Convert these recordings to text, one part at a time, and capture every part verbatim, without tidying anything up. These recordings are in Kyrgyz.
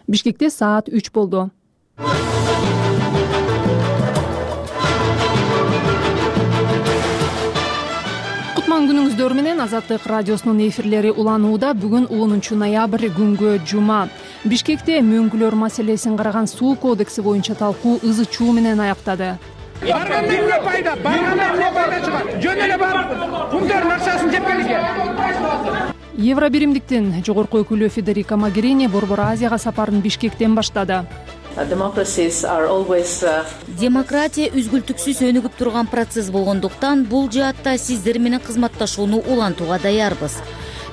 Бишкекте саат үч болду. Кутман күнүңүздөр менен Азаттык радиосунун эфирлери уланууда. Бүгүн онунчу ноябрь күнгө жума. Бишкекте мөңгүлөр маселесин караган суу кодекси боюнча талкуу ызы чуу менен аяктады. Барганда эмне пайда? Барганда эмне пайда чыгат? Жөн эле барып, кумдардын акчасын жеп келишкен. Евробиримдиктин жогорку өкүлү Федерика Могерини Борбор Азияга сапарын Бишкектен баштады. Демократия үзгүлтүксүз өнүгүп турган процесс болгондуктан бул жаатта сиздер менен кызматташууну улантууга даярбыз.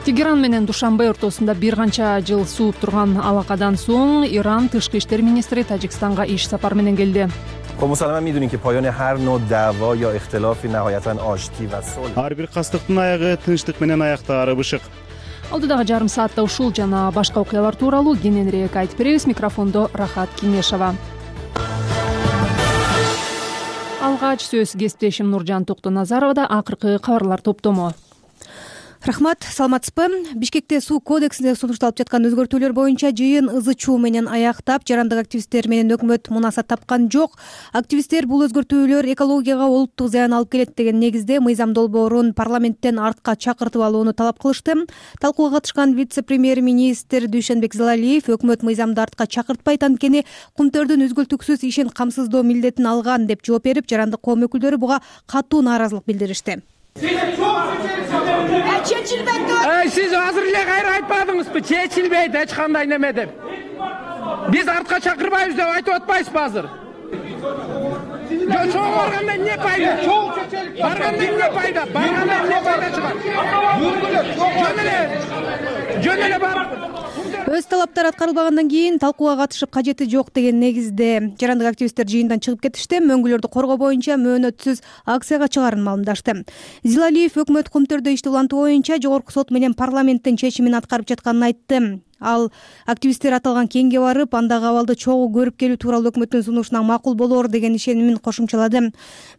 Тегеран менен Душанбе ортосунда бир канча жыл сууп турган алакадан соң Иран тышкы иштер министри Тажикстанга иш сапар менен келди. Ар бир кастыктын аягы тынчтык менен аяктаары бышык. Алдыдагы жарым саатта ушул жана башка окуялар тууралуу кененирээк айтып беребиз. Микрофондо Рахат Кинешова. Алгач сөз кесиптешим Нуржан Токтоназаровада. Акыркы кабарлар топтому. Рахмат, саламатсызбы? Бишкекте суу кодексине сунушталып жаткан өзгөртүүлөр боюнча жыйын ызы чуу менен аяктап, жарандык активисттер менен өкмөт мунасат тапкан жок. Активисттер бул өзгөртүүлөр экологияга олуттук зыян алып келет деген негизде мыйзам долбоорун парламенттен артка чакыртып алууну талап кылышты. Талкууга катышкан вице-премьер-министр Дүйшөнбек Зылалиев өкмөт мыйзамды артка чакыртпайт, анткени кумтөрдүн үзгүлтүксүз ишин камсыздоо милдетин алган деп жооп берип, жарандык коом өкүлдөрү буга катуу нааразылык билдиришти. Эй, сиз азыр эле кайра айтпадыңызбы? Чечилбейт эч кандай неме деп. Биз артка чакырбайбыз деп айтып атпайсызбы азыр? Чоң барганда эмне пайда? Барганда эмне пайда? Барганда эмне пайда чыгат? Жөн эле, жөн эле барып. Өз талаптары аткарылбагандан кийин талкууга катышып кажети жок деген негизде жарандык активисттер жыйындан чыгып кетишти. Мөңгүлөрдү коргоо боюнча мөөнөтсүз акцияга чыгаарын маалымдашты. Зилалиев өкмөт кумтөрдө ишти улантуу боюнча жогорку сот менен парламенттин чечимин аткарып жатканын айтты. Ал активисттер аталган кеңге барып, андагы абалды чогуу көрүп келүү тууралуу өкмөттүн сунушуна макул болоор деген ишенимин кошумчалады.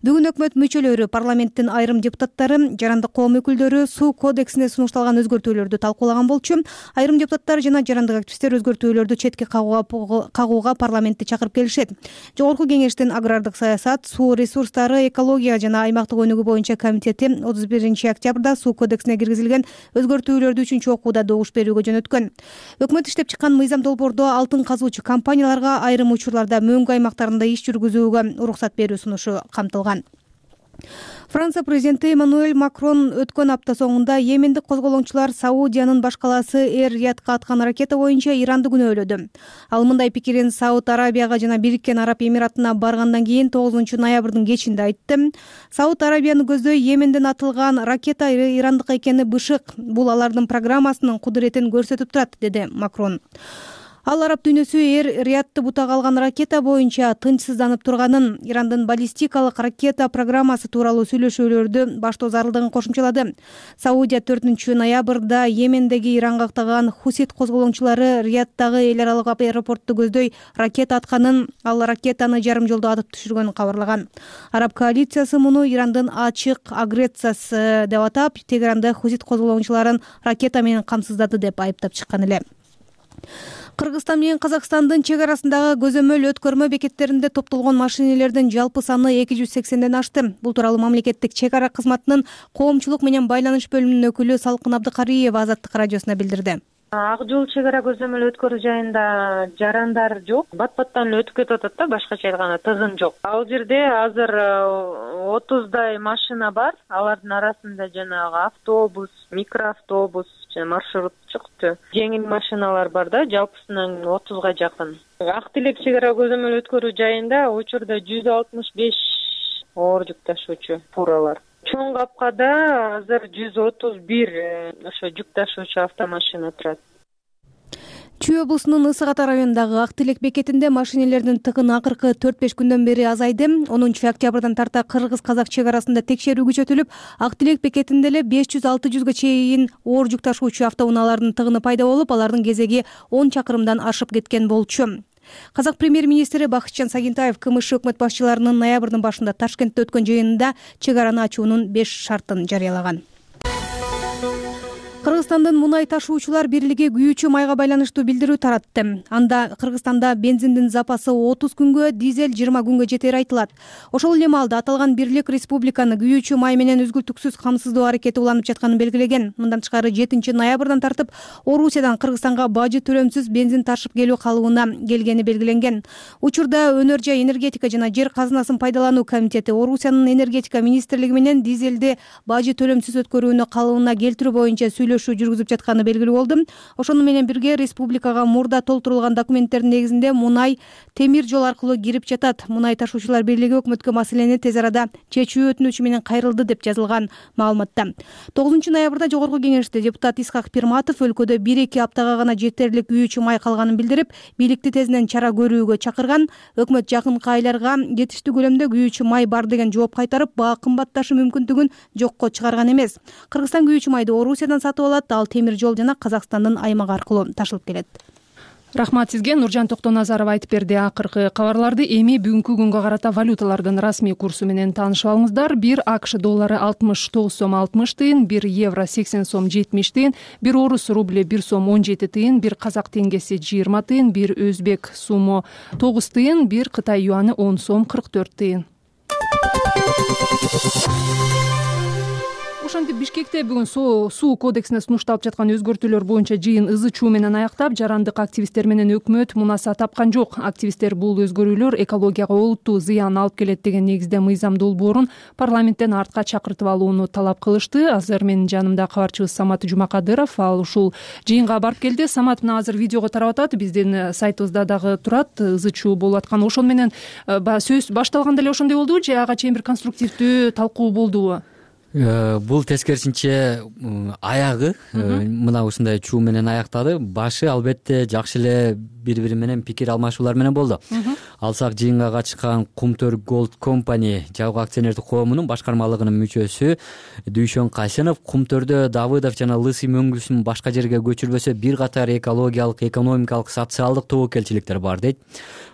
Бүгүн өкмөт мүчөлөрү, парламенттин айрым депутаттары, жарандык коом өкүлдөрү суу кодексине сунушталган өзгөртүүлөрдү талкуулаган болчу. Айрым депутаттар жана жарандык активисттер өзгөртүүлөрдү четке кагууга кагууга парламентти чакырып келишет. Жогорку кеңештин агрардык саясат, суу ресурстары, экология жана аймактык өнүгүү боюнча комитети отуз биринчи октябрда суу кодексине киргизилген өзгөртүүлөрдү үчүнчү окууда добуш берүүгө жөнөткөн. Өкмөт иштеп чыккан мыйзам долбоордо алтын казуучу компанияларга айрым учурларда мөңгү аймактарында иш жүргүзүүгө уруксат берүү сунушу камтылган. Франция президенти Эммануэль Макрон өткөн апта соңунда Йемендик козголоңчулар Саудиянын башкаласы Эр-Риядка аткан ракета боюнча Иранды күнөөлөдү. Ал мындай пикирин Сауд Арабияга жана Бириккен Араб Эмиратына баргандан кийин тогузунчу ноябрдын кечинде айтты. Сауд Арабияны көздөй Йеменден атылган ракета ирандык экени бышык. Бул алардын программасынын кудуретин көрсөтүп турат, деди Макрон. Ал араб дүйнөсү Эр-Риядты бутага алган ракета боюнча тынчсызданып турганын, Ирандын баллистикалык ракета программасы тууралуу сүйлөшүүлөрдү баштоо зарылдыгын кошумчалады. Саудия төртүнчү ноябрда Йемендеги Иранга актаган Хусит козголоңчулары Рияддагы эл аралык аэропортту көздөй ракета атканын, ал ракетаны жарым жолдо атып түшүргөнүн кабарлаган. Араб коалициясы муну Ирандын ачык агрессиясы деп атап, Тегеранда Хусит козголоңчуларын ракета менен камсыздады деп айыптап чыккан эле. Кыргызстан менен Казакстандын чек арасындагы көзөмөл өткөрмө бекеттеринде топтолгон машинелердин жалпы саны эки жүз сексенден ашты. Бул тууралуу мамлекеттик чек ара кызматынын коомчулук менен байланыш бөлүмүнүн өкүлү Салкын Абдыкариева Азаттык радиосуна билдирди. Ак жол чек ара көзөмөл өткөрүү жайында жарандар жок, бат-баттан эле өтүп кетип атат да, башкача айтканда тыгын жок. Ал жерде азыр отуздай машина бар, алардын арасында жанагы автобус, микроавтобус, маршрутчук жеңил машиналар бар да, жалпысынан отузга жакын. Ак Тилек чек ара көзөмөл өткөрүү жайында учурда жүз алтымыш беш оор жүк ташуучу фуралар. Чоң капкада азыр жүз отуз бир ошо жүк ташуучу автомашина турат. Чүй облусунун Ысык Ата районундагы Ак Тилек бекетинде машинелердин тыгыны акыркы төрт беш күндөн бери азайды. онунчу октябрдан тарта кыргыз-казак чек арасында текшерүү күчөтүлүп, Ак Тилек бекетинде эле беш жүз алты жүзгө чейин оор жүк ташуучу автоунаалардын тыгыны пайда болуп, алардын кезеги он чакырымдан ашып кеткен болчу. Казак премьер-министри Бакытжан Сагинтаев КМШ өкмөт башчыларынын ноябрдын башында Ташкентте өткөн жыйынында чек араны ачуунун беш шартын жарыялаган. Кыргызстандын Мунай ташуучулар бирлиги күйүүчү майга байланыштуу билдирүү таратты. Анда Кыргызстанда бензиндин запасы отуз күнгө, дизель жыйырма күнгө жетери айтылат. Ошол эле маалда аталган бирлик республиканы күйүүчү май менен үзгүлтүксүз камсыздоо аракети уланып жатканын белгилеген. Мындан тышкары жетинчи ноябрдан тартып Орусиядан Кыргызстанга бажы төлөмсүз бензин ташып келүү калыбына келгени белгиленген. Учурда Өнөр жай энергетика жана жер казынасын пайдалануу комитети Орусиянын энергетика министрлиги менен дизелди бажы төлөмсүз өткөрүүнү калыбына келтирүү боюнча сүйлөшүү жүргүзүп жатканы белгилүү болду. Ошону менен бирге республикага мурда толтурулган документтердин негизинде Мунай темир жол аркылуу кирип жатат. Мунай ташуучулар бирлиги өкмөткө маселени тез арада чечүү өтүнүчү менен кайрылды деп жазылган маалыматта. тогузунчу ноябрда жогорку кеңеште депутат Исхак Пирматов өлкөдө бир эки аптага гана жетерлик күйүүчү май калганын билдирип, бийликти тезинен чара көрүүгө чакырган. Өкмөт жакынкы айларга жетиштүү көлөмдө күйүүчү май бар деген жооп кайтарып, баа кымбатташы мүмкүндүгүн жокко чыгарган эмес. Кыргызстан күйүүчү майды Орусиядан сатып алат, ал темир жол жана Казакстандын аймагы аркылуу ташылып келет. Рахмат сизге. Нуржан Токтоназаров айтып берди. Акыркы кабарларды эми бүгүнкү күнгө карата валюталардын расмий курсу менен таанышып алыңыздар. Бир АКШ доллары алтымыш тогуз сом алтымыш тыйын, бир евро сексен сом жетимиш тыйын, бир орус рубле бир сом он жети тыйын, бир казак теңгеси жыйырма тыйын, бир өзбек сумо тогуз тыйын, бир кытай юаны он сом кырк төрт тыйын. Ошентип Бишкекте бүгүн суу кодексине сунушталып жаткан өзгөртүүлөр боюнча жыйын ызы чуу менен аяктап, жарандык активисттер менен өкмөт мунаса тапкан жок. Активисттер бул өзгөрүүлөр экологияга олуттуу зыян алып келет деген негизде мыйзам долбоорун парламенттен артка чакыртып алууну талап кылышты. Азыр менин жанымда кабарчыбыз Самат Жумакадыров, ал ушул жыйынга барып келди. Самат мына азыр видеого тарап атат, биздин сайтыбызда дагы турат, ызы чуу болуп аткан. Ошону менен сөз башталганда эле ошондой болдубу же ага чейин бир конструктивдүү талкуу болдубу? Бул тескерисинче аягы мына ушундай чуу менен аяктады. Башы албетте жакшы эле бири-бири менен пикир алмашуулар менен болду. Алсак жыйынга катышкан Кумтөр Голд Компани жабык акционердик коомунун башкармалыгынын мүчөсү Дүйшөн Касенов Кумтөрдө Давыдов жана Лысый мөңгүсүн башка жерге көчүрбөсө бир катар экологиялык, экономикалык, социалдык тобокелчиликтер бар дейт.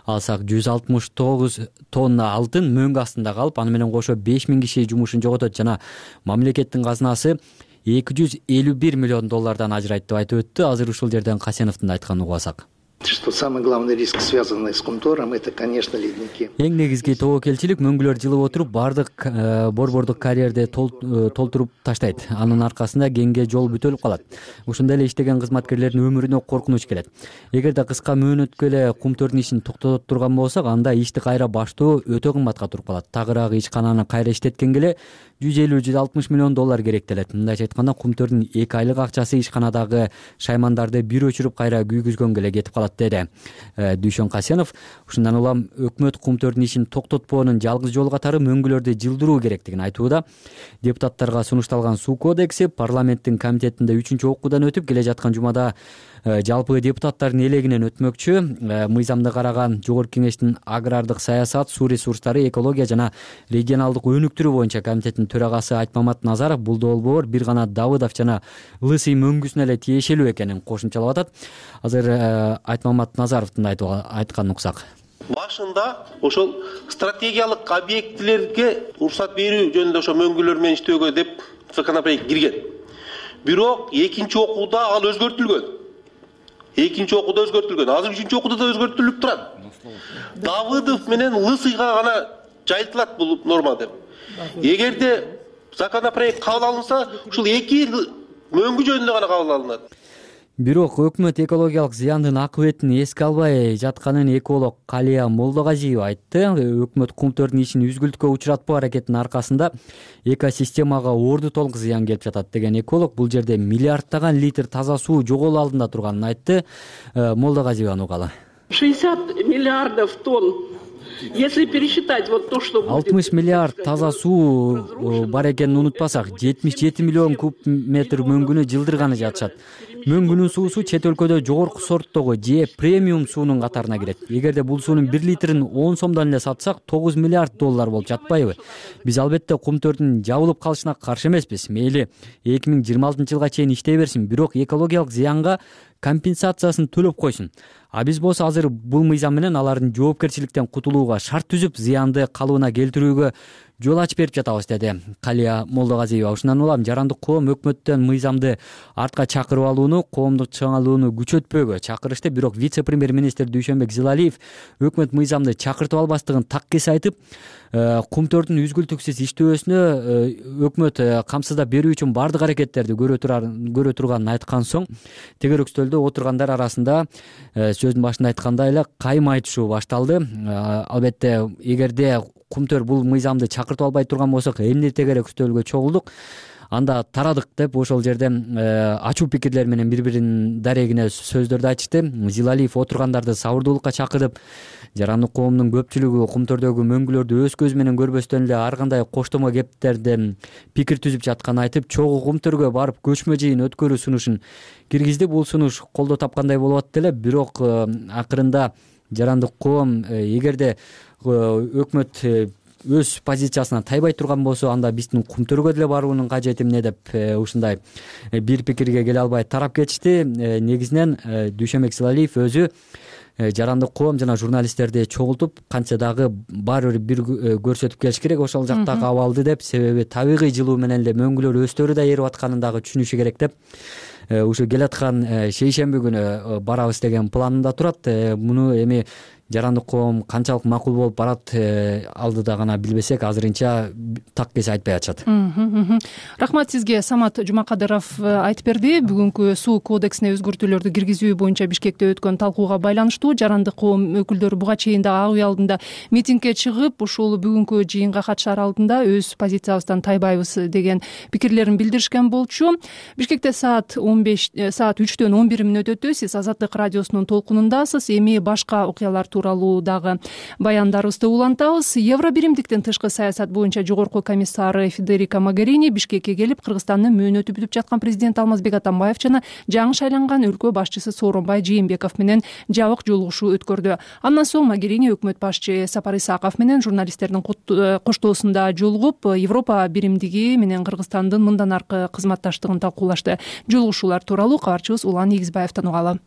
Алсак жүз алтымыш тогуз тонна алтын мөңгү астында калып, аны менен кошо беш миң киши жумушун жоготот жана мамлекеттин казынасы эки жүз элүү бир миллион доллардан ажырайт деп айтып өттү. Азыр ушул жерден Касеновдун айтканын угуп алсак. Что самый главный риск, связанный с Кумтором, это, конечно, ледники. Эң негизги тобокелчилик мөңгүлөр жылып отуруп, бардык борбордук карьерди толтуруп таштайт. Анын аркасында кеңге жол бүтөлүп калат. Ушундай эле иштеген кызматкерлердин өмүрүнө коркунуч келет. Эгерде кыска мөөнөткө эле Кумтордун ишин токтотот турган болсок, анда ишти кайра баштоо өтө кымбатка туруп калат. Тагыраагы ишкананы кайра иштеткенге эле жүз элүү жүз алтымыш миллион доллар керектелет. Мындайча айтканда, Кумтордун эки айлык акчасы ишканадагы шаймандарды бир өчүрүп кайра күйгүзгөнгө эле кетип калат деди Дүйшөн Касенов. Ушундан улам өкмөт Кумтордун ишин токтотпоонун жалгыз жолу катары мөңгүлөрдү жылдыруу керектигин айтууда. Депутаттарга сунушталган суу кодекси парламенттин комитетинде үчүнчү окуудан өтүп, келе жаткан жумада жалпы депутаттардын элегинен өтмөкчү. Мыйзамды караган жогорку кеңештин агрардык саясат, суу ресурстары, экология жана регионалдык өнүктүрүү боюнча комитеттин төрагасы Айтмамат Назаров бул долбоор бир гана Давыдов жана Лысый мөңгүсүнө эле тиешелүү экенин кошумчалап атат. Азыр Айтмамат Назаровдун айтканын уксак. Башында ошол стратегиялык объектилерге уруксат берүү жөнүндө ошо мөңгүлөр менен иштөөгө деп законопроект кирген. Бирок экинчи окууда ал өзгөртүлгөн. Экинчи окууда өзгөртүлгөн. Азыр үчүнчү окууда да өзгөртүлүп турат. Давыдов менен Лысыйга гана жайылтылат бул норма деп. Эгерде законопроект кабыл алынса, ушул эки мөңгү жөнүндө гана кабыл алынат. Бирок өкмөт экологиялык зыяндын акыбетин эске албай жатканын эколог Калия Молдогазиева айтты. Өкмөт Кумтордун ишин үзгүлткө учуратпоо аракетинин аркасында экосистемага орду толук зыян келип жатат деген эколог бул жерде миллиардтаган литр таза суу жоголуу алдында турганын айтты. Молдогазиеваны угалы. шестьдесят миллиардов тонн. Если пересчитать вот то, что будет... алтымыш миллиард таза суу бар экенин унутпасак, жетимиш жети миллион куб метр мөңгүнү жылдырганы жатышат. Мөңгүнүн суусу чет өлкөдө жогорку сорттогу же премиум суунун катарына кирет. Эгерде бул суунун бир литрин он сомдон эле сатсак, тогуз миллиард доллар болуп жатпайбы? Биз албетте Кумтордун жабылып калышына каршы эмеспиз. Мейли эки миң жыйырма алтынчы жылга чейин иштей берсин, бирок экологиялык зыянга компенсациясын төлөп койсун. А биз болсо азыр бул мыйзам менен алардын жоопкерчиликтен кутулууга шарт түзүп, зыянды калыбына келтирүүгө жол ачып берип жатабыз, деди Калия Молдогазиева. Ушундан улам жарандык коом өкмөттөн мыйзамды артка чакырып алууну, коомдук чыңалууну күчөтпөөгө чакырышты. Бирок вице-премьер-министр Дүйшөнбек Зилалиев өкмөт мыйзамды чакыртып албастыгын так кесе айтып, кумтөрдүн үзгүлтүксүз иштөөсүнө өкмөт камсыздап берүү үчүн бардык аракеттерди көрө турганын айткан соң, тегерек стөлдө отургандар арасында сөздүн башында айткандай эле кайым айтышуу башталды. Албетте, эгерде кумтөр бул мыйзамды чакыртып албай турган болсок, эмне тегерек стөлгө чогулдук, анда тарадык деп ошол жерде ачуу пикирлер менен бири-биринин дарегине сөздөрдү айтышты. Зилалиев отургандарды сабырдуулукка чакырып, жарандык коомдун көпчүлүгү кумтөрдөгү мөңгүлөрдү өз көзү менен көрбөстөн эле ар кандай коштомо кептерден пикир түзүп жатканын айтып, чогуу кумтөргө барып көчмө жыйын өткөрүү сунушун киргизди. Бул сунуш колдоо тапкандай болуп атты эле, бирок акырында жарандык коом эгерде өкмөт өз позициясынан тайбай турган болсо, анда биздин кумтөргө деле баруунун кажети эмне деп ушундай бир пикирге келе албай тарап кетишти. Негизинен Дүйшөнбек Зилалиев өзү жарандык коом жана журналисттерди чогултуп, канча дагы баары бир көрсөтүп келиш керек ошол жактагы абалды деп, себеби табигый жылуу менен эле мөңгүлөр өстөрү да эрип атканын дагы түшүнүшү керек деп, ушу келаткан шейшемби күнү барабыз деген планында турат. Муну эми жарандык коом канчалык макул болуп барат алдыда гана билбесек, азырынча так кесе айтпай атышат. Рахмат сизге. Самат Жумакадыров айтып берди. Бүгүнкү суу кодексине өзгөртүүлөрдү киргизүү боюнча Бишкекте өткөн талкууга байланыштуу жарандык коом өкүлдөрү буга чейин да ак үй алдында митингге чыгып, ушул бүгүнкү жыйынга катышаар алдында өз позициябыздан тайбайбыз деген пикирлерин билдиришкен болчу. Бишкекте саат он беш саат үчтөн он бир мүнөт өтө. Сиз Азаттык радиосунун толкунундасыз. Эми башка окуялар тууралуу дагы баяндарыбызды улантабыз. Евро биримдиктин тышкы саясат боюнча жогорку комиссары Федерика Могерини Бишкекке келип, Кыргызстандын мөөнөтү бүтүп жаткан президент Алмазбек Атамбаев жана жаңы шайланган өлкө башчысы Сооронбай Жээнбеков менен жабык жолугушуу өткөрдү. Андан соң Могерини өкмөт башчы Сапар Исаков менен журналисттердин коштоосунда жолугуп, Европа биримдиги менен Кыргызстандын мындан аркы кызматташтыгын талкуулашты. Жолугушуулар тууралуу кабарчыбыз Улан Игизбаевден угалы.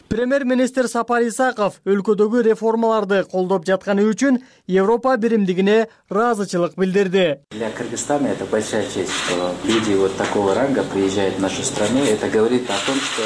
Премьер-министр Сапар Исаков өлкөдөгү реформаларды колдоп жатканы үчүн Европа биримдигине ыраазычылык билдирди. Для Кыргызстана это большая честь, что люди вот такого ранга приезжают в нашу страну. Это говорит о том, что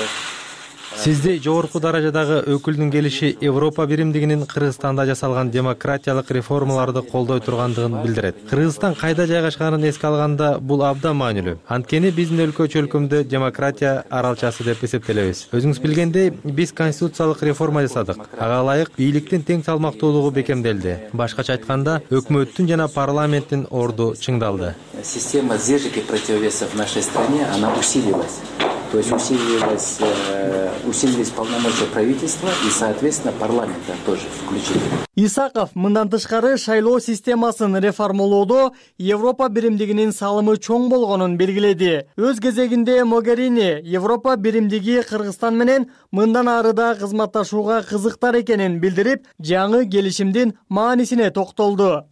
Сизди жогорку даражадагы өкүлдүн келиши Европа биримдигинин Кыргызстанда жасалган демократиялык реформаларды колдой тургандыгын билдирет. Кыргызстан кайда жайгашканын эске алганда бул абдан маанилүү. Анткени биздин өлкө чөлкөмдө демократия аралчасы деп эсептелебиз. Өзүңүз билгендей, биз конституциялык реформа жасадык. Ага ылайык бийликтин тең салмактуулугу бекемделди. Башкача айтканда, өкмөттүн жана парламенттин орду чыңдалды. Система сдержек и противовесов в нашей стране, она усилилась. То есть усилились, усилились полномочия правительства и, соответственно, парламента тоже включили. Исаков мындан тышкары шайлоо системасын реформалоодо Европа биримдигинин салымы чоң болгонун белгиледи. Өз кезегинде Могерини Европа биримдиги Кыргызстан менен мындан ары да кызматташууга кызыктар экенин билдирип, жаңы келишимдин маанисине токтолду.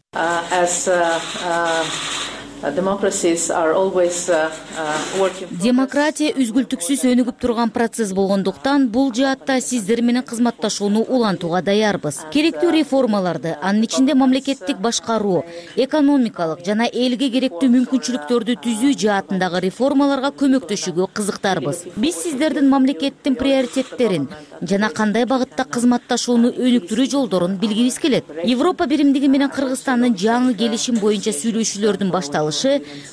Демократия үзгүлтүксүз өнүгүп турган процесс болгондуктан бул жаатта сиздер менен кызматташууну улантууга даярбыз. Керектүү реформаларды, анын ичинде мамлекеттик башкаруу, экономикалык жана элге керектүү мүмкүнчүлүктөрдү түзүү жаатындагы реформаларга көмөктөшүүгө кызыктарбыз. Биз сиздердин мамлекеттин приоритеттерин жана кандай багытта кызматташууну өнүктүрүү жолдорун билгибиз келет. Европа биримдиги менен Кыргызстандын жаңы келишим боюнча сүйлөшүүлөрдүн башталышы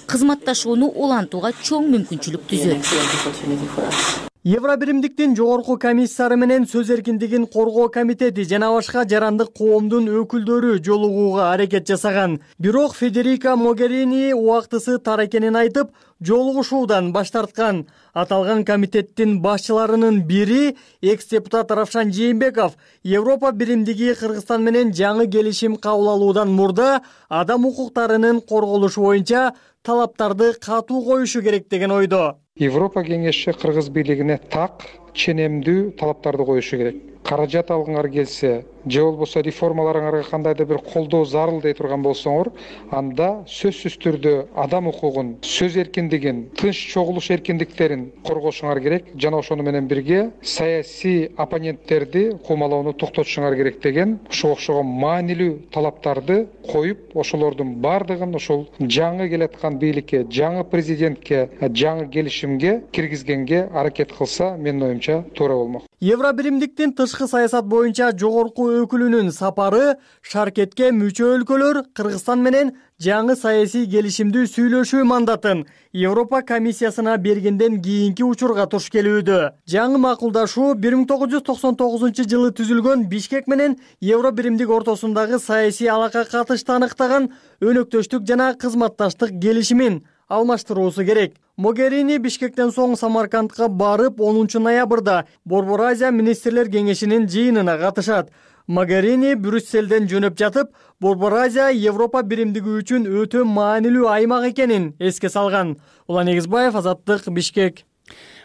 кызматташууну улантууга чоң мүмкүнчүлүк түзөт. Евро биримдиктин жогорку комиссары менен сөз эркиндигин коргоо комитети жана башка жарандык коомдун өкүлдөрү жолугууга аракет жасаган. Бирок Федерика Могерини убактысы тар экенин айтып, жолугушуудан баш тарткан. Аталган комитеттин башчыларынын бири экс-депутат Равшан Жээнбеков Европа биримдиги Кыргызстан менен жаңы келишим кабыл алуудан мурда адам укуктарынын корголушу боюнча талаптарды катуу коюшу керек деген ойдо. Европа кеңеши Кыргыз бийлигине так ченемдүү талаптарды коюшу керек. Каражат алгыңар келсе же болбосо реформаларыңарга кандайдыр бир колдоо зарыл дей турган болсоңор, анда сөзсүз түрдө адам укугун, сөз эркиндигин, тынч чогулуш эркиндиктерин коргошуңар керек жана ошону менен бирге саясий оппоненттерди куумалоону токтотушуңар керек деген ушуга окшогон маанилүү талаптарды коюп, ошолордун баардыгын ошол жаңы келаткан бийликке, жаңы президентке, жаңы келишимге киргизгенге аракет кылса, менин оюмча туура болмок. Евробиримдиктин тышкы саясат боюнча жогорку өкүлүнүн сапары шаркетке мүчө өлкөлөр Кыргызстан менен жаңы саясий келишимди сүйлөшүү мандатын Европа комиссиясына бергенден кийинки учурга туш келүүдө. Жаңы макулдашуу бир миң тогуз жүз токсон тогузунчу жылы түзүлгөн Бишкек менен Евробиримдик ортосундагы саясий алака катышты аныктаган өнөктөштүк жана кызматташтык келишимин алмаштыруусу керек. Могерини Бишкектен соң Самаркандка барып, онунчу ноябрда Борбор Азия министрлер кеңешинин жыйынына катышат. Могерини Брюсселден жөнөп жатып, Борбор Азия Европа биримдиги үчүн өтө маанилүү аймак экенин эске салган. Улан Эгизбаев, Азаттык, Бишкек.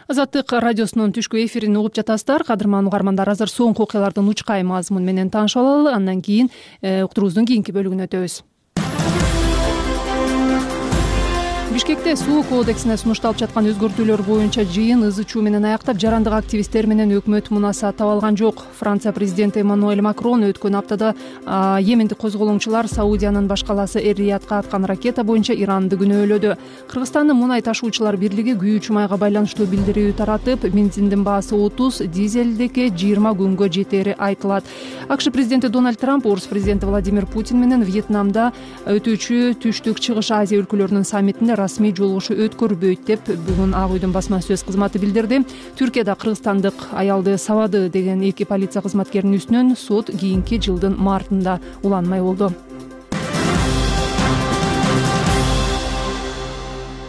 Азаттык радиосунун түшкү эфирин угуп жатасыздар. Кадырман угармандар, азыр соңку окуялардын учкай мазмун менен таанышып алалы. Андан кийин уктуруубуздун кийинки бөлүгүнө өтөбүз. Бишкекте суу кодексине сунушталып жаткан өзгөртүүлөр боюнча жыйын ызы чуу менен аяктап, жарандык активисттер менен өкмөт мунаса таба алган жок. Франция президенти Эммануэль Макрон өткөн аптада Йемендик козголоңчулар Саудиянын баш калаасы Эр-Риядка аткан ракета боюнча Иранды күнөөлөдү. Кыргызстандын мунай ташуучулар бирлиги күйүүчү майга байланыштуу билдирүү таратып, бензиндин баасы отуз, дизелдики жыйырма күнгө жетери айтылат. АКШ президенти Дональд Трамп орус президенти Владимир Путин менен Вьетнамда өтүүчү Түштүк Чыгыш Азия өлкөлөрүнүн саммитинде расмий жолугушуу өткөрбөйт деп бүгүн Ак үйдүн басма сөз кызматы билдирди. Түркияда кыргызстандык аялды сабады деген эки полиция кызматкеринин үстүнөн сот кийинки жылдын мартында уланмай болду.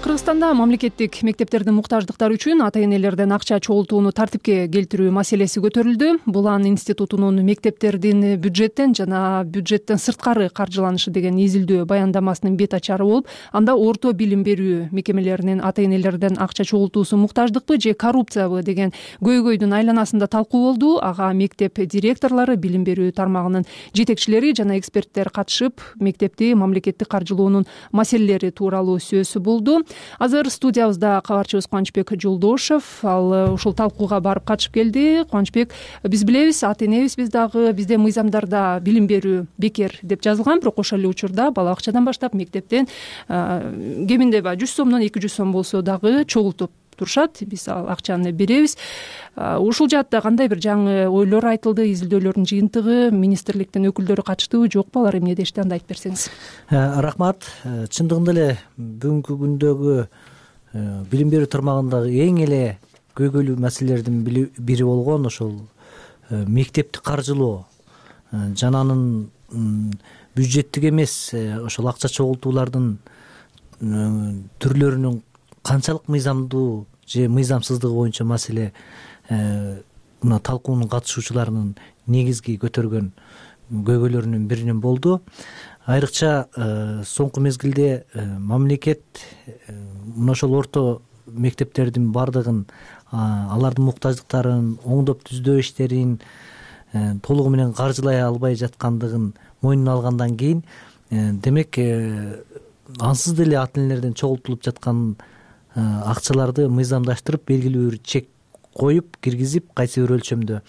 Кыргызстанда мамлекеттик мектептердин муктаждыктары үчүн ата-энелерден акча чогултууну тартипке келтирүү маселеси көтөрүлдү. Булан институтунун мектептердин бюджеттен жана бюджеттен сырткары каржыланышы деген изилдөө баяндамасынын бет ачары болуп, анда орто билим берүү мекемелеринин ата-энелерден акча чогултуусу муктаждыкпы же коррупциябы деген көйгөйдүн айланасында талкуу болду. Ага мектеп директорлору, билим берүү тармагынын жетекчилери жана эксперттер катышып, мектепти мамлекеттик каржылоонун маселелери тууралуу сөз болду. Азыр студиябызда кабарчыбыз Кубанычбек Жолдошев, ал ушул талкууга барып катышып келди. Кубанычбек, биз билебиз, ата-энебиз биз дагы бизде мыйзамдарда билим берүү бекер деп жазылган, бирок ошол эле учурда бала бакчадан баштап мектептен кеминде жүз сомдон эки жүз сом болсо дагы чогултуп турушат. Биз ал акчаны беребиз. Ушул жаатта кандай бир жаңы ойлор айтылды, изилдөөлөрдүн жыйынтыгы, министрликтин өкүлдөрү катыштыбы, жокпу, алар эмне дешти, анда айтып берсеңиз. Рахмат. Чындыгында эле бүгүнкү күндөгү билим берүү тармагындагы эң эле көйгөйлүү маселелердин бири болгон ошол мектепти каржылоо жана анын бюджеттик эмес ошол акча чогултуулардын түрлөрүнүн канчалык мыйзамдуу же мыйзамсыздыгы боюнча маселе мына талкуунун катышуучуларынын негизги көтөргөн көйгөйлөрүнүн биринен болду. Айрыкча соңку мезгилде мамлекет мына ошол орто мектептердин баардыгын, алардын муктаждыктарын, оңдоп түздөө иштерин толугу менен каржылай албай жаткандыгын мойнуна алгандан кийин, демек ансыз деле ата-энелерден чогултулуп жаткан акчаларды мыйзамдаштырып, белгилүү бир чек коюп, киргизип, кайсы бир өлчөмдө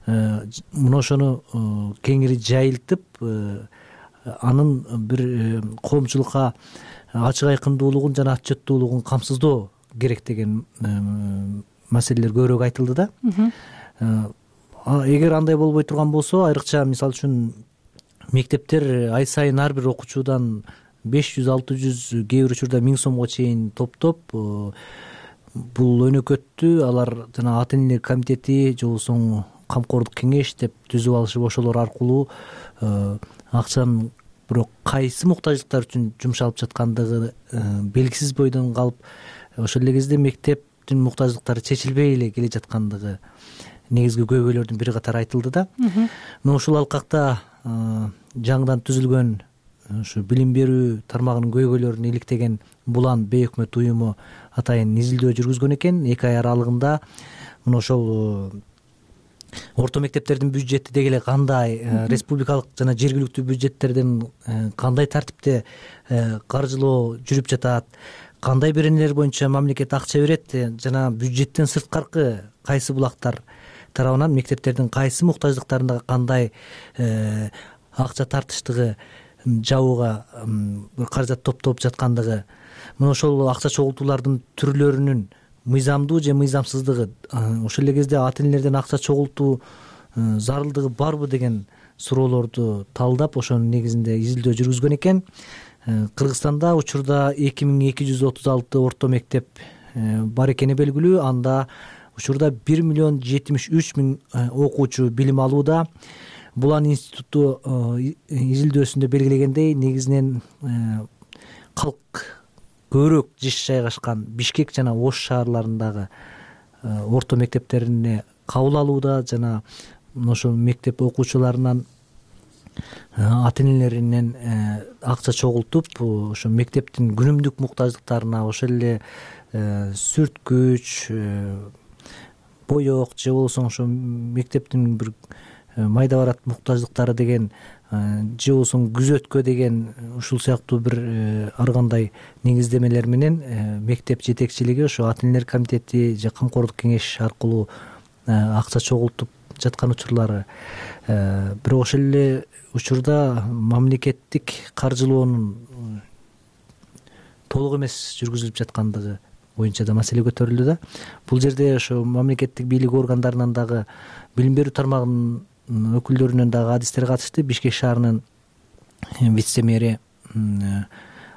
мына ошону кеңири жайылтып, анын бир коомчулукка ачык айкындуулугун жана отчеттуулугун камсыздоо керек деген маселелер көбүрөөк айтылды да. Эгер андай болбой турган болсо, айрыкча мисалы үчүн мектептер ай сайын ар бир окуучудан беш жүз алты жүз, кээ бир учурда миң сомго чейин топтоп, бул өнөкөттү алар жана ата-энелер комитети же болбосо камкордук кеңеш деп түзүп алышып, ошолор аркылуу акчанын бирок кайсы муктаждыктар үчүн жумшалып жаткандыгы белгисиз бойдон калып, ошол эле кезде мектептин муктаждыктары чечилбей эле келе жаткандыгы негизги көйгөйлөрдүн бир катары айтылды да. Мына ушул алкакта жаңыдан түзүлгөн ушу билим берүү тармагынын көйгөйлөрүн иликтеген Булан бейөкмөт уюму атайын изилдөө жүргүзгөн экен. Эки ай аралыгында мына ошол орто мектептердин бюджети деги эле кандай, республикалык жана жергиликтүү бюджеттерден кандай тартипте каржылоо жүрүп жатат, кандай беренелер боюнча мамлекет акча берет жана бюджеттен сырткаркы кайсы булактар тарабынан мектептердин кайсы муктаждыктарында кандай акча тартыштыгы, жабууга бир каражат топтолуп жаткандыгы, мына ошол акча чогултуулардын түрлөрүнүн мыйзамдуу же мыйзамсыздыгы, ошол эле кезде ата энелерден акча чогултуу зарылдыгы барбы деген суроолорду талдап ошонун негизинде изилдөө жүргүзгөн экен. Кыргызстанда учурда эки миң эки жүз отуз алты орто мектеп бар экени белгилүү. Анда учурда бир миллион жетимиш үч миң окуучу билим алууда. Булан институту изилдөөсүндө белгилегендей, негизинен калк көбүрөөк жиш жайгашкан Бишкек жана Ош шаарларындагы орто мектептерине кабыл алууда жана ошол мектеп окуучуларынан ата энелеринен акча чогултуп, ошо мектептин күнүмдүк муктаждыктарына, ошол эле сүрткүч, боек же болбосо ошо мектептин бир майда барат муктаждыктары деген, же болбосо күзөткө деген, ушул сыяктуу бир ар кандай негиздемелер менен мектеп жетекчилиги ошо ата энелер комитети же камкордук кеңеш аркылуу акча чогултуп жаткан учурлары. Бирок ошол эле учурда мамлекеттик каржылоонун толук эмес жүргүзүлүп жаткандыгы боюнча да маселе көтөрүлдү да. Бул жерде ошо мамлекеттик бийлик органдарынан дагы, билим берүү тармагынын өкүлдөрүнөн дагы адистер катышты. Бишкек шаарынын вице мэри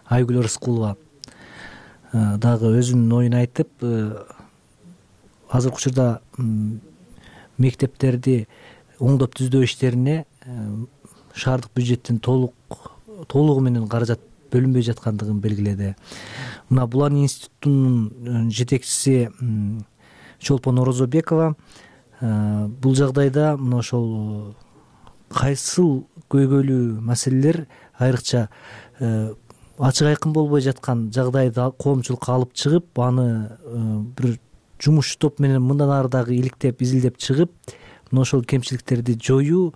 Айгүл Рыскулова дагы өзүнүн оюн айтып, азыркы учурда мектептерди оңдоп түздөө иштерине шаардык бюджеттин толук толугу менен каражат бөлүнбөй жаткандыгын белгиледи. Мына Булан институтунун жетекчиси Чолпон Орозобекова бул жагдайда мына ошол кайсыл көйгөйлүү маселелер айрыкча ачык айкын болбой жаткан жагдайда коомчулукка алып чыгып, аны бир жумуш топ менен мындан ары дагы иликтеп, изилдеп чыгып, мына ошол кемчиликтерди жоюу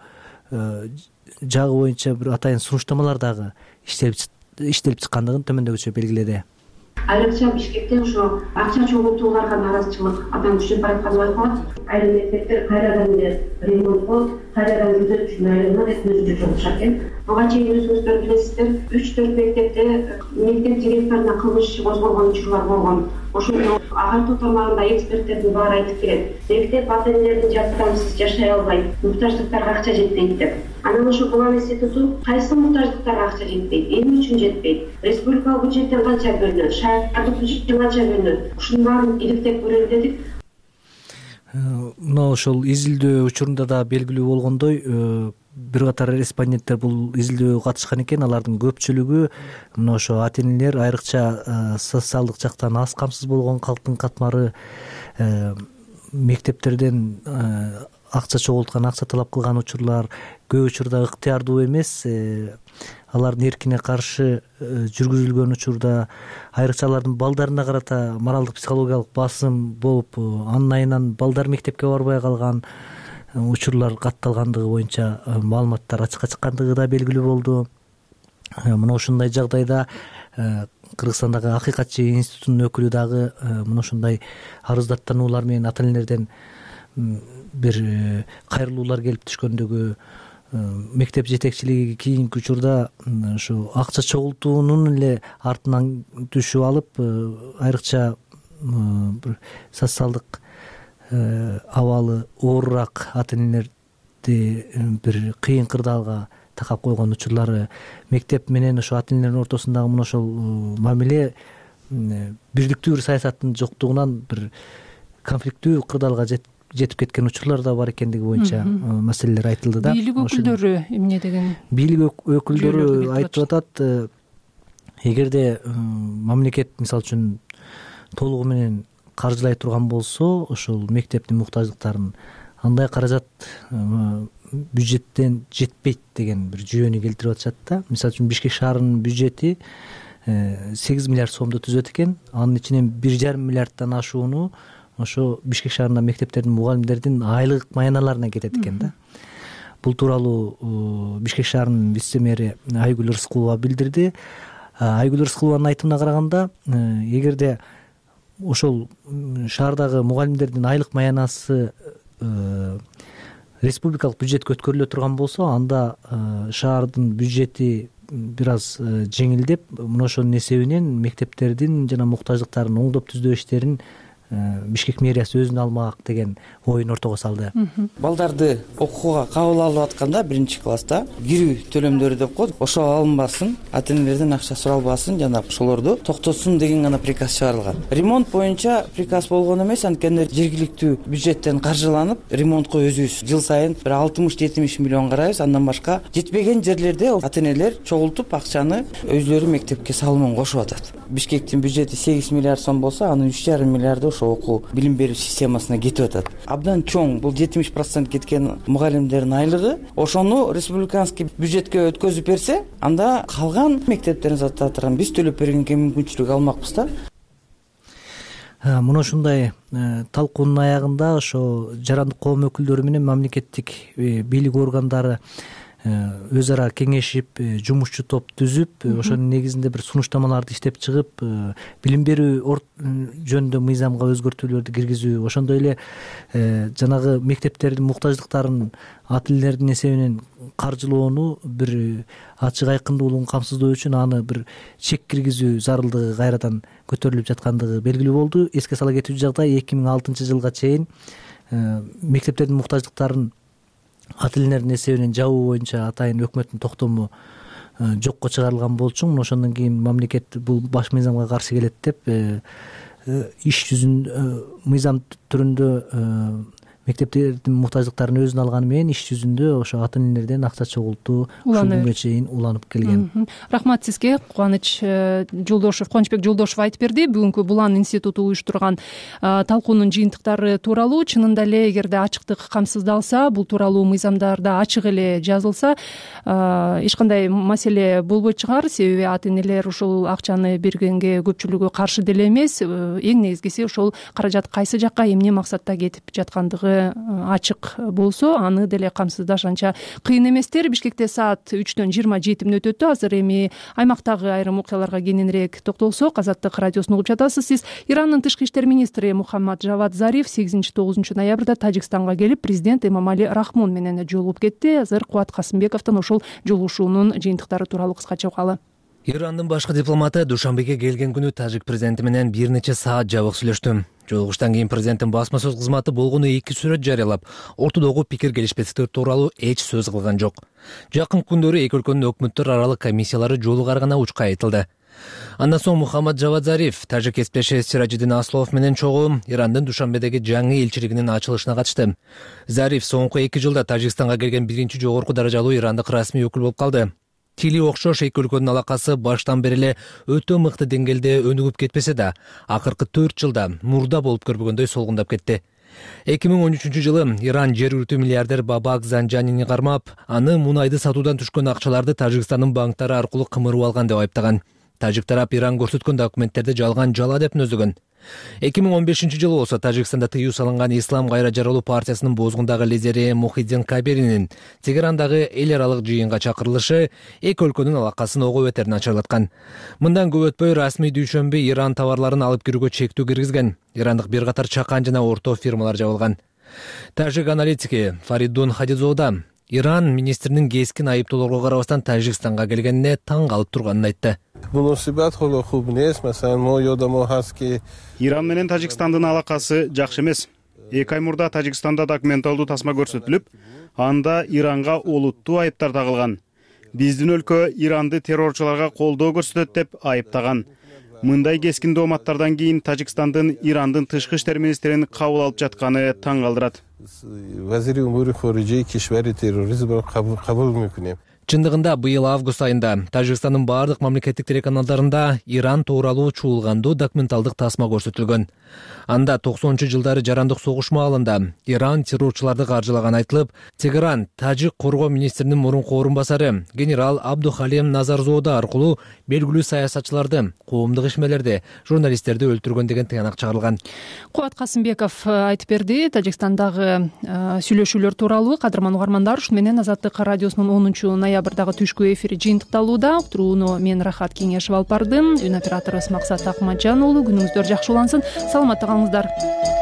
жагы боюнча бир атайын сунуштамалар дагы иштелип чыккандыгын төмөндөгүчө белгиледи. Айрыкча Бишкекте ошо акча чогултууларга нааразычылык абдан күчөп баратканы байкалат. Айрым мектептер кайрадан эле ремонттолуп, кайрадан күзөтчү айланат өткөрүлүп жатышат экен. Буга чейин өзүңүздөр билесиздер, үч төрт мектепте мектеп директоруна кылмыш иши козголгон учурлар болгон. Ошондо агартуу тармагында эксперттердин баары айтып келет. Мектеп ата энелердин жардамсыз жашай албайт, муктаждыктарга акча жетпейт деп. Анан ошо Булан институту кайсы муктаждыктарга акча жетпейт, эмне үчүн жетпейт, республикалык бюджеттен канча бөлүнөт, шаардык бюджеттен канча бөлүнөт, ушунун баарын иликтеп көрөлү дедик. Мына ошол изилдөө учурунда да белгилүү болгондой, бир катар респонденттер бул изилдөөгө катышкан экен. Алардын көпчүлүгү мына ошо ата энелер, айрыкча социалдык жактан аз камсыз болгон калктын катмары, мектептерден акча чогулткан, акча талап кылган учурлар көп учурда ыктыярдуу эмес, алардын эркине каршы жүргүзүлгөн учурда, айрыкча алардын балдарына карата моралдык психологиялык басым болуп, анын айынан балдар мектепке барбай калган учурлар катталгандыгы боюнча маалыматтар ачыкка чыккандыгы да белгилүү болду. Мына ушундай жагдайда Кыргызстандагы Акыйкатчы институтунун өкүлү дагы мына ушундай арыздаттануулар менен ата энелерден бир кайрылуулар келип түшкөндүгү, мектеп жетекчилиги кийинки учурда ушу акча чогултуунун эле артынан түшүп алып, айрыкча бир социалдык абалы оорураак ата энелерди бир кыйын кырдаалга такап койгон учурлары, мектеп менен ошо ата энелердин ортосундагы мына ошол мамиле бирликтүү бир саясаттын жоктугунан бир конфликттүү кырдаалга жетип кеткен учурлар да бар экендиги боюнча маселелер айтылды да. Бийлик өкүлдөрү эмне деген? Бийлик өкүлдөрү айтып атат, эгерде мамлекет мисалы үчүн толугу менен каржылай турган болсо, ошол мектептин муктаждыктарын андай каражат бюджеттен жетпейт деген бир жүйөнү келтирип атышат да. Мисалы үчүн Бишкек шаарынын бюджети сегиз миллиард сомду түзөт экен. Анын ичинен бир жарым миллиарддан ашууну ошо Бишкек шаарында мектептердин мугалимдердин айлык маяналарына кетет экен да. Бул тууралуу Бишкек шаарынын вице мэри Айгүл Рыскулова билдирди. Айгүл Рыскулованын айтымына караганда, эгерде ошол шаардагы мугалимдердин айлык маянасы республикалык бюджетке өткөрүлө турган болсо, анда шаардын бюджети бир аз жеңилдеп, мына ошонун эсебинен мектептердин жана муктаждыктарын оңдоп түздөө иштерин Бишкек мэриясы өзүнө алмак деген оюн ортого салды. Балдарды окууга кабыл алып атканда биринчи класста кирүү төлөмдөрү деп коет, ошо алынбасын, ата энелерден акча суралбасын жана ошолорду токтотсун деген гана приказ чыгарылган. Ремонт боюнча приказ болгон эмес, анткени жергиликтүү бюджеттен каржыланып, ремонтко өзүбүз жыл сайын бир алтымыш жетимиш миллион карайбыз. Андан башка жетпеген жерлерде ата энелер чогултуп акчаны өзлөрү мектепке салымын кошуп атат. Бишкектин бюджети сегиз миллиард сом болсо, анын үч жарым миллиарды ошо окуу билим берүү системасына кетип атат. Абдан чоң, бул жетимиш процент кеткен мугалимдердин айлыгы, ошону республиканский бюджетке өткөзүп берсе, анда калган мектептерин сатып турган биз төлөп бергенге мүмкүнчүлүк алмакпыз да. Мына ушундай талкуунун аягында ошо жарандык коом өкүлдөрү менен мамлекеттик бийлик органдары өз ара кеңешип, жумушчу топ түзүп, ошонун негизинде бир сунуштамаларды иштеп чыгып, билим берүү жөнүндө мыйзамга өзгөртүүлөрдү киргизүү, ошондой эле жанагы мектептердин муктаждыктарын ата энелердин эсебинен каржылоону бир ачык айкындуулугун камсыздоо үчүн аны бир чек киргизүү зарылдыгы кайрадан көтөрүлүп жаткандыгы белгилүү болду. Эске сала кетүүчү жагдай, эки миң алтынчы жылга чейин мектептердин муктаждыктарын ата энелердин эсебинен жабуу боюнча атайын өкмөттүн токтому жокко чыгарылган болчу. Мына ошондон кийин мамлекет бул баш мыйзамга каршы келет деп иш жүзүндө мыйзам түрүндө мектептердин муктаждыктарын өзүнө алганы менен иш жүзүндө ошо ата энелерден акча чогултуу ушул күнгө чейин уланып келген. Рахмат сизге. Кубаныч Жолдошев, Кубанычбек Жолдошев айтып берди. Бүгүнкү Булан институту уюштурган талкуунун жыйынтыктары тууралуу. Чынында эле эгерде ачыктык камсыздалса, бул тууралуу мыйзамдарда ачык эле жазылса, эч кандай маселе болбой чыгар. Себеби ата энелер ушул акчаны бергенге көпчүлүгү каршы деле эмес. Эң негизгиси ошол каражат кайсы жакка, эмне максатта кетип жаткандыгы ачык болсо, аны деле камсыздаш анча кыйын эместер. Бишкекте саат үчтөн жыйырма жети мүнөт өттү. Азыр эми аймактагы айрым окуяларга кененирээк токтолсок, Азаттык радиосун угуп жатасыз. Сиз Ирандын тышкы иштер министри Мухаммад Жавад Зариф сегизинчи тогузунчу ноябрда Тажикстанга келип, президент Эмомали Рахмон менен жолугуп кетти. Азыр Кубат Касымбековдон ошол жолугушуунун жыйынтыктары тууралуу кыскача угалы. Ирандын башкы дипломаты Душанбеге келген күнү тажик президенти менен бир нече саат жабык сүйлөштү. Жолугуштан кийин президенттин басма сөз кызматы болгону эки сүрөт жарыялап, ортодогу пикир келишпестиктер тууралуу эч сөз кылган жок. Жакын күндөрү эки өлкөнүн өкмөттөр аралык комиссиялары жолугарганы учка айтылды. Андан соң Мухаммад Жавад Зариф тажик кесиптеши Сиражиддин Аслов менен чогуу Ирандын Душанбедеги жаңы элчилигинин ачылышына катышты. Зариф соңку эки жылда Тажикстанга келген биринчи жогорку даражалуу ирандык расмий өкүл болуп калды. Тили окшош эки өлкөнүн алакасы баштан бери эле өтө мыкты деңгээлде өнүгүп кетпесе да, акыркы төрт жылда мурда болуп көрбөгөндөй солгундап кетти. эки миң он үчүнчү жылы Иран жергиликтүү миллиардер Бабак Занжанини кармап, аны мунайды сатуудан түшкөн акчаларды Тажикстандын банктары аркылуу кымырып алган деп айыптаган. Тажик тарап Иран көрсөткөн документтерди жалган жала деп нөздөгөн. эки миң он бешинчи жылы болсо Тажикстанда тыюу салынган Ислам кайра жаралуу партиясынын бозгундагы лидери Мухиддин Кабиринин Тегерандагы эл аралык жыйынга чакырылышы эки өлкөнүн алакасын ого бетер начарлаткан. Мындан көп өтпөй расмий дүйшөмбү Иран товарларын алып кирүүгө чектүү киргизген. Ирандык бир катар чакан жана орто фирмалар жабылган. Тажик аналитики Фаридун Хадизода Иран министринин кескин айыптоолорго карабастан Тажикстанга келгенине таң калып турганын айтты. Иран менен Тажикстандын алакасы жакшы эмес. эки ай мурда Тажикстанда документалдуу тасма көрсөтүлүп, анда Иранга олуттуу айыптар тагылган. Биздин өлкө Иранды террорчуларга колдоо көрсөтөт деп айыптаган. Мындай кескин дооматтардан кийин Тажикстандын Ирандын тышкы иштер министрин кабыл алып жатканы таң калтырат. чындыгында быйыл август айында Тажикстандын баардык мамлекеттик телеканалдарында Иран тууралуу чуулгандуу документалдык тасма көрсөтүлгөн. Анда токсонунчу жылдары жарандык согуш маалында Иран террорчуларды каржылаганы айтылып, Тегеран тажик коргоо министринин мурунку орун басары генерал Абдухалим Назарзода аркылуу белгилүү саясатчыларды, коомдук ишмерлерди, журналисттерди өлтүргөн деген тыянак чыгарылган. Кубат Касымбеков айтып берди. Тажикстандагы сүйлөшүүлөр тууралуу кадырман угармандар, ушу менен Азаттык радиосунун онунчу ноябрдагы түшкү эфири жыйынтыкталууда. Уктурууну мен Рахат Кеңешев алып бардым. Үн операторубуз Максат Акматжан уулу. Күнүңүздөр жакшы улансын. Саламатта калыңыздар.